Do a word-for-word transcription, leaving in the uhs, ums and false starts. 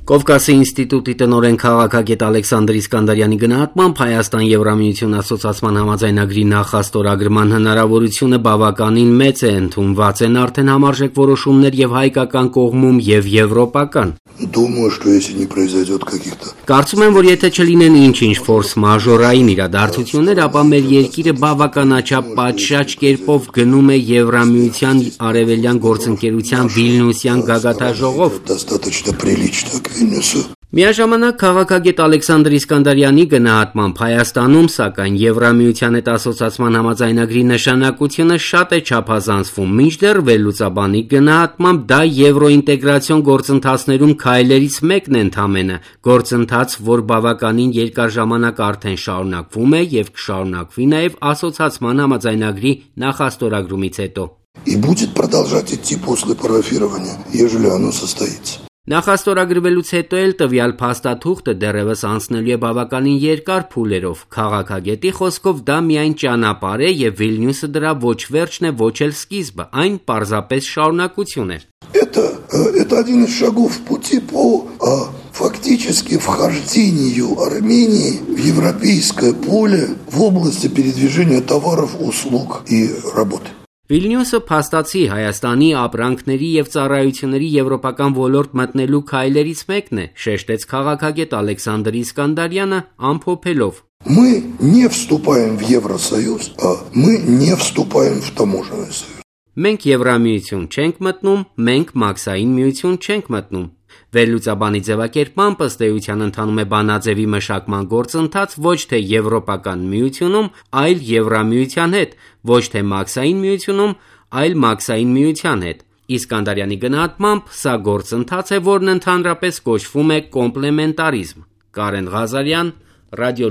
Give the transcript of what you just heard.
Կովկասի ինստիտուտի տնօրեն քաղաքագետ Ալեքսանդր Իսկանդարյանի գնահատմամբ Հայաստան-Եվրամիություն ասոցիացման համաձայնագրի նախաստորագրման հնարավորությունը բավականին մեծ է, ընդունված են արդեն համարժեք որոշումներ եւ հայկական կողմում եւ եվրոպական։ Думаю, что если не произойдет каких-то Կարծում եմ, որ եթե չլինեն ինչ-ինչ ֆորս մաժորային իրադարձություններ, ապա մեր երկիրը բավականաչափ պատշաճ կերպով գնում է Եվրամիության արևելյան գործընկերության Վիլնյուսյան գագաթաժողով։ достаточно прилично к Вильнюсу. Միաժամանակ քաղաքագետ Ալեքսանդր Իսկանդարյանի գնահատմամբ Հայաստանում, սակայն Եվրամիության հետ ասոցիացման համաձայնագրի նշանակությունը շատ է չափազանցվում, մինչդեռ վերլուծաբանի գնահատմամբ դա եվրոինտեգրացիոն գործընթացներում քայլերից մեկն է ընդամենը, գործընթաց, որ բավականին երկար ժամանակ արդեն շարունակվում է եւ կշարունակվի նաեւ ասոցիացման համաձայնագրի նախաստորագրումից հետո։ И будет продолжать идти после парафирования, ежели оно состоится. Նախաստորագրվելուց հետո էլ տվյալ փաստաթուղթը դեռևս անցնելու է բավականին երկար փուլերով։ Քաղաքագետի խոսքով դա միայն ճանապարհ է եւ Վիլնյուսը դրա ոչ վերջն է, ոչ էլ սկիզբը, այն պարզապես շարունակություն է։ Это, это один из шагов в пути по а, фактически вхождению Армении в европейское поле в области передвижения товаров, услуг и работы. Վիլնյուսը փաստացի Հայաստանի ապրանքների եւ ծառայությունների եվրոպական ոլորտ մտնելու քայլերից մեկն է, շեշտեց քաղաքագետ Ալեքսանդր Իսկանդարյանը ամփոփելով. Мы не вступаем в Евросоюз, а мы не вступаем в таможенный союз. Մենք Եվրամիություն չենք մտնում, մենք Մաքսային միություն չենք մտնում։ Վերլուծաբանի ձևակերպմամբ ըստ էության ընթանում է բանաձևի մշակման գործընթաց ոչ թե Եվրոպական միությունում, այլ Եվրամիության հետ, ոչ թե Մաքսային միությունում, այլ Մաքսային միության հետ։ Իսկանդարյանի գնահատմամբ սա գործընթաց է, որն ընդհանրապես կոչվում է կոմպլեմենտարիզմ։ Կարեն Ղազարյան, Ռադիո